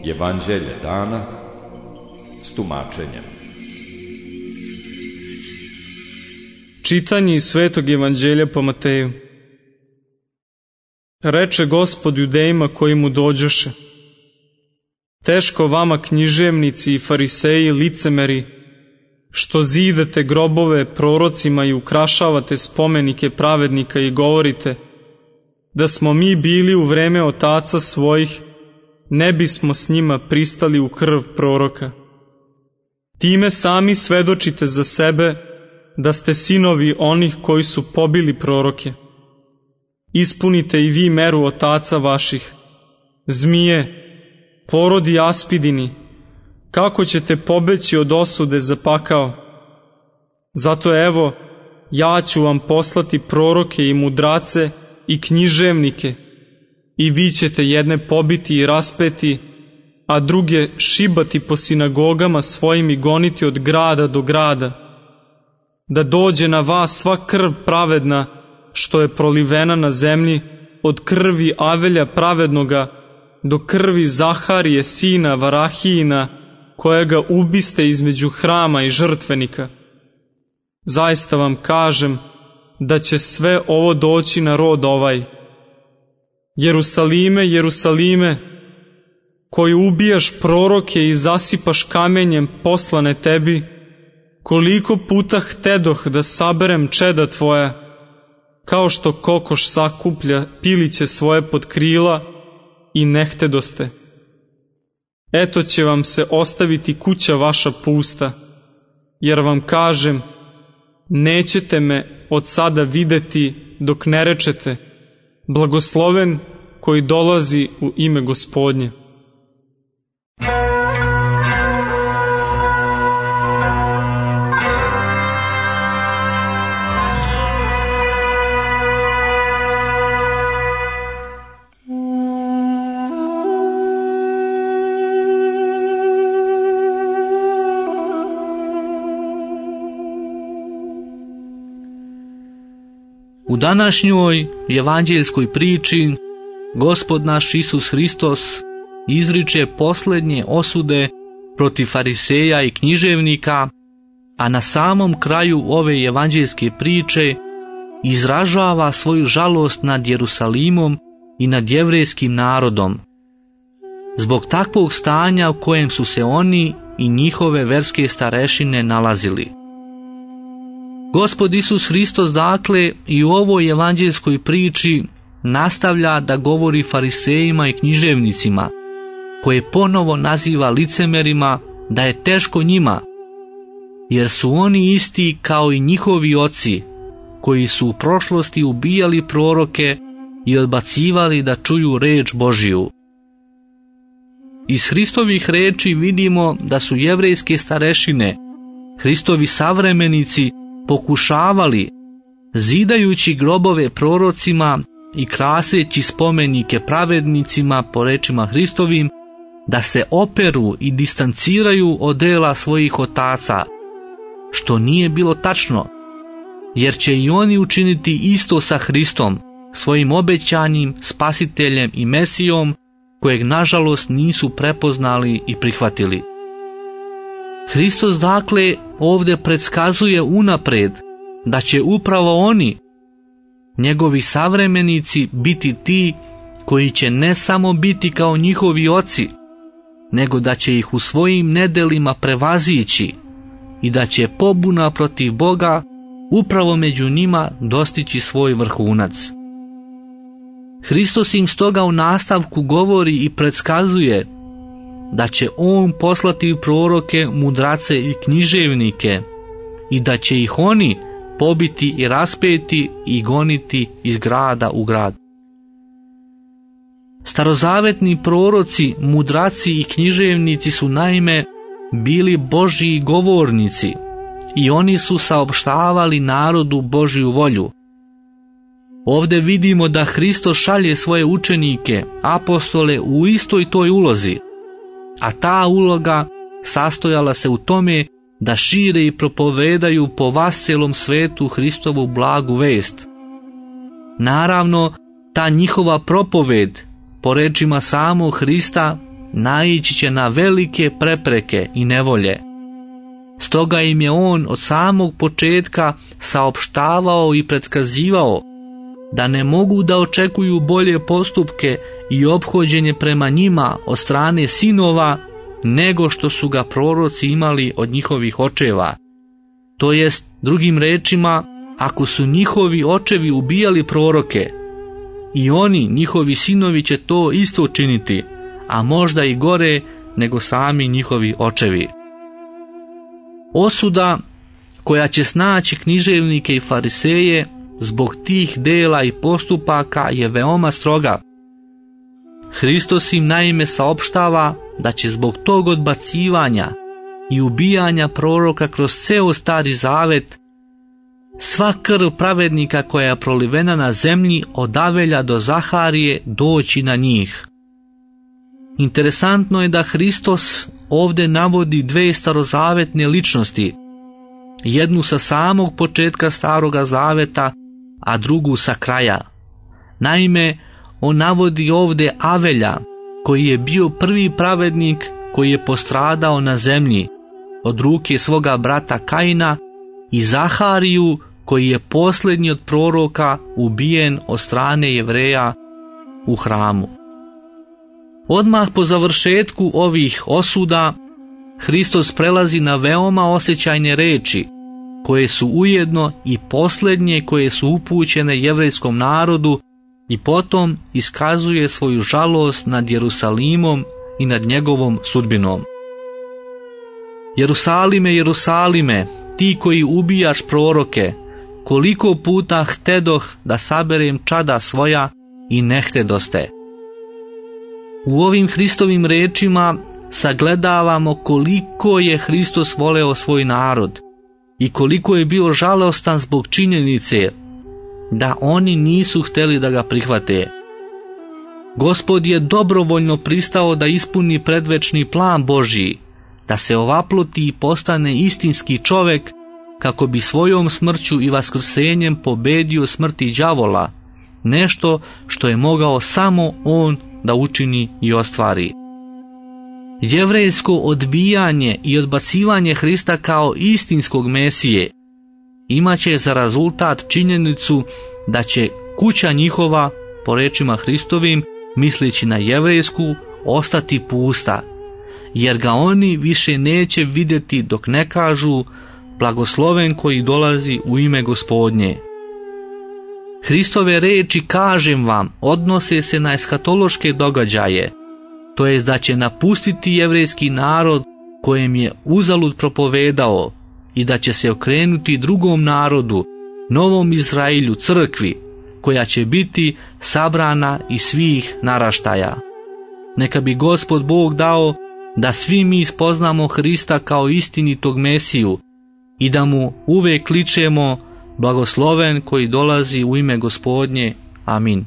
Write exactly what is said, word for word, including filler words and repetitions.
Evanđelje dana s tumačenjem. Čitanje iz Svetog evanđelja po Mateju. Reče Gospod judejima koji mu dođoše: teško vama, književnici i fariseji, licemeri, što zidate grobove prorocima i ukrašavate spomenike pravednika i govorite: da smo mi bili u vreme otaca svojih, ne bismo s njima pristali u krv proroka. Time sami svedočite za sebe da ste sinovi onih koji su pobili proroke. Ispunite i vi meru otaca vaših. Zmije, porodi aspidini, kako ćete pobeći od osude za pakao? Zato evo, ja ću vam poslati proroke i mudrace i književnike, i vi ćete jedne pobiti i raspeti, a druge šibati po sinagogama svojim i goniti od grada do grada, da dođe na vas sva krv pravedna što je prolivena na zemlji, od krvi Avelja pravednoga do krvi Zaharije sina Varahijina, kojega ubiste između hrama i žrtvenika. Zaista vam kažem da će sve ovo doći na rod ovaj. Jerusalime, Jerusalime, koji ubijaš proroke i zasipaš kamenjem poslane tebi, koliko puta htedoh da saberem čeda tvoja, kao što kokoš sakuplja piliće svoje pod krila, i ne htedoste. Eto će vam se ostaviti kuća vaša pusta, jer vam kažem, nećete me od sada videti dok ne rečete: blagosloven koji dolazi u ime Gospodnje. U današnjoj evanđeljskoj priči Gospod naš Isus Hristos izriče posljednje osude protiv fariseja i književnika, a na samom kraju ove evanđeljske priče izražava svoju žalost nad Jerusalimom i nad jevrejskim narodom, zbog takvog stanja u kojem su se oni i njihove verske starešine nalazili. Gospod Isus Hristos dakle i u ovoj evanđeljskoj priči nastavlja da govori farisejima i književnicima, koje ponovo naziva licemerima, da je teško njima, jer su oni isti kao i njihovi oci, koji su u prošlosti ubijali proroke i odbacivali da čuju reč Božiju. Iz Hristovih reči vidimo da su jevrejske starešine, Hristovi savremenici, pokušavali, zidajući grobove prorocima i kraseći spomenike pravednicima po rečima Hristovim, da se operu i distanciraju od dela svojih otaca, što nije bilo tačno, jer će i oni učiniti isto sa Hristom, svojim obećanim spasiteljem i Mesijom, kojeg nažalost nisu prepoznali i prihvatili. Hristos dakle ovdje predskazuje unapred da će upravo oni, njegovi savremenici, biti ti koji će ne samo biti kao njihovi oci, nego da će ih u svojim nedelima prevazići i da će pobuna protiv Boga upravo među njima dostići svoj vrhunac. Hristos im stoga u nastavku govori i predskazuje da će on poslati proroke, mudrace i književnike i da će ih oni pobiti i raspeti i goniti iz grada u grad. Starozavetni proroci, mudraci i književnici su naime bili Božji govornici i oni su saopštavali narodu Božju volju. Ovdje vidimo da Hristos šalje svoje učenike, apostole, u istoj toj ulozi, a ta uloga sastojala se u tome da šire i propovedaju po vascelom svetu Hristovu blagu vest. Naravno, ta njihova propoved, po rečima samog Hrista, naići će na velike prepreke i nevolje. Stoga im je on od samog početka saopštavao i predskazivao da ne mogu da očekuju bolje postupke i ophođenje prema njima od strane sinova nego što su ga proroci imali od njihovih očeva. To jest, drugim rečima, ako su njihovi očevi ubijali proroke, i oni, njihovi sinovi, će to isto činiti, a možda i gore nego sami njihovi očevi. Osuda koja će snaći književnike i fariseje zbog tih dela i postupaka je veoma stroga. Hristos im naime saopštava da će zbog tog odbacivanja i ubijanja proroka kroz ceo Stari Zavet sva krv pravednika koja je prolivena na zemlji od Avelja do Zaharije doći na njih. Interesantno je da Hristos ovdje navodi dve starozavetne ličnosti, jednu sa samog početka Staroga Zaveta, a drugu sa kraja. Naime, on navodi ovdje Avelja, koji je bio prvi pravednik koji je postradao na zemlji od ruke svoga brata Kaina, i Zahariju, koji je posljednji od proroka ubijen od strane Jevreja u hramu. Odmah po završetku ovih osuda, Hristos prelazi na veoma osjećajne reči, koje su ujedno i posljednje koje su upućene jevrejskom narodu, i potom iskazuje svoju žalost nad Jerusalimom i nad njegovom sudbinom. Jerusalime, Jerusalime, ti koji ubijaš proroke, koliko puta htedoh da saberem čada svoja i ne htedoste. U ovim Hristovim rečima sagledavamo koliko je Hristos voleo svoj narod i koliko je bio žalostan zbog činjenice da oni nisu htjeli da ga prihvate. Gospod je dobrovoljno pristao da ispuni predvečni plan Božji, da se ovaploti i postane istinski čovek, kako bi svojom smrću i vaskrsenjem pobedio smrti đavola, nešto što je mogao samo on da učini i ostvari. Jevrejsko odbijanje i odbacivanje Hrista kao istinskog Mesije imaće za rezultat činjenicu da će kuća njihova, po rečima Hristovim, misleći na jevrejsku, ostati pusta, jer ga oni više neće vidjeti dok ne kažu blagosloven koji dolazi u ime Gospodnje. Hristove reči, kažem vam, odnose se na eshatološke događaje, to jest da će napustiti jevrejski narod kojem je uzalud propovedao i da će se okrenuti drugom narodu, novom Izrailju, crkvi, koja će biti sabrana iz svih naraštaja. Neka bi Gospod Bog dao da svi mi spoznamo Hrista kao istinitog Mesiju i da mu uvek kličemo blagosloven koji dolazi u ime Gospodnje. Amin.